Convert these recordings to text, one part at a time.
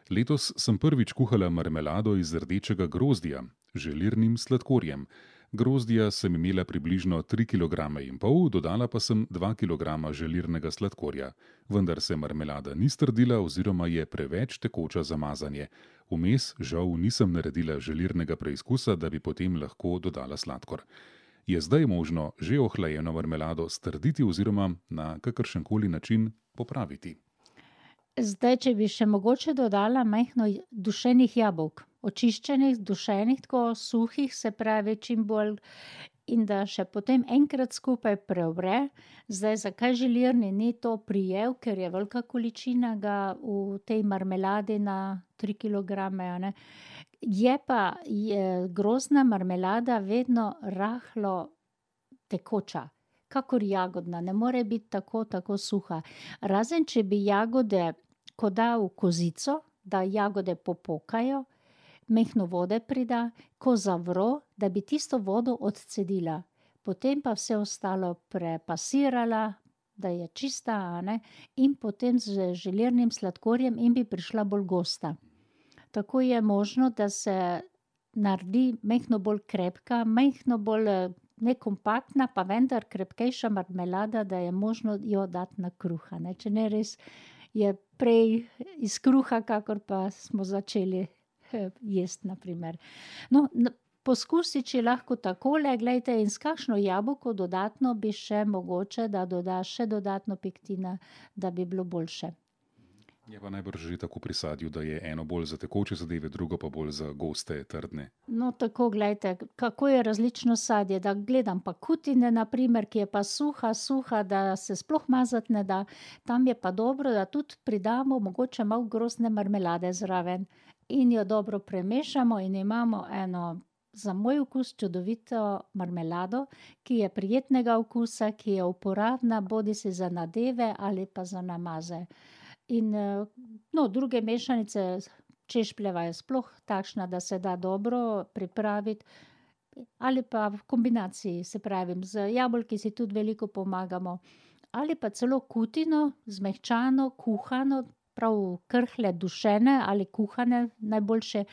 Letos sem prvič kuhala marmelado iz rdečega grozdja, želirnim sladkorjem. Grozdja sem imela približno 3,5 kg, dodala pa sem 2 kg želirnega sladkorja. Vendar se marmelada ni strdila oziroma je preveč tekoča za mazanje. Vmes žal nisem naredila želirnega preizkusa, da bi potem lahko dodala sladkor. Je zdaj možno že ohlajeno marmelado strditi oziroma na kakršenkoli način popraviti? Zdaj, če bi še mogoče dodala majhno dušenih jabolk, očiščenih, dušenih, tako suhih, se pravi čim bolj, in da še potem enkrat skupaj prevre. Zdaj, zakaj želirni ni to prijel, ker je velika količina ga v tej marmeladi na 3 kilograme, a ne. Je pa grozdna marmelada vedno rahlo tekoča, kakor jagodna, ne more biti tako suha. Razen če bi jagode, ko da v kozico, da jagode popokajo, majhno vode prida, ko zavro, da bi tisto vodo odcedila. Potem pa vse ostalo prepasirala, da je čista, a ne, in potem z želirnim sladkorjem in bi prišla bolj gosta. Tako je možno, da se naredi majhno bolj krepka, majhno bolj, ne kompaktna, pa vendar krepkejša marmelada, da je možno jo dati na kruh, a ne, če ne res je prej iz kruha, kakor pa smo začeli jesti, na primer. No, poskusi, če lahko takole, glejte, in s kakšno jabolko dodatno bi še mogoče, da dodaš še dodatno pektina, da bi bilo boljše. Je pa najbrž že tako pri sadju, da je eno bolj za tekoče zadeve, drugo pa bolj za goste, trdne. No, tako, glejte, kako je različno sadje, da gledam pa kutine, na primer, ki je pa suha, da se sploh mazati ne da. Tam je pa dobro, da tudi pridamo mogoče malo grozdne marmelade zraven in jo dobro premešamo in imamo eno, za moj okus, čudovito marmelado, ki je prijetnega okusa, ki je uporabna bodisi za nadeve ali pa za namaze. In, no, druge mešanice, češpljeva je sploh takšna, da se da dobro pripraviti, ali pa v kombinaciji, se pravim, z jabolki si tudi veliko pomagamo. Ali pa celo kutino, zmehčano, kuhano, prav krhlje dušene ali kuhane najboljše,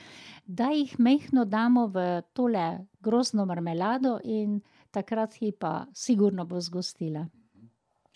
da jih majhno damo v tole grozdno marmelado in takrat ji pa sigurno bo zgostila.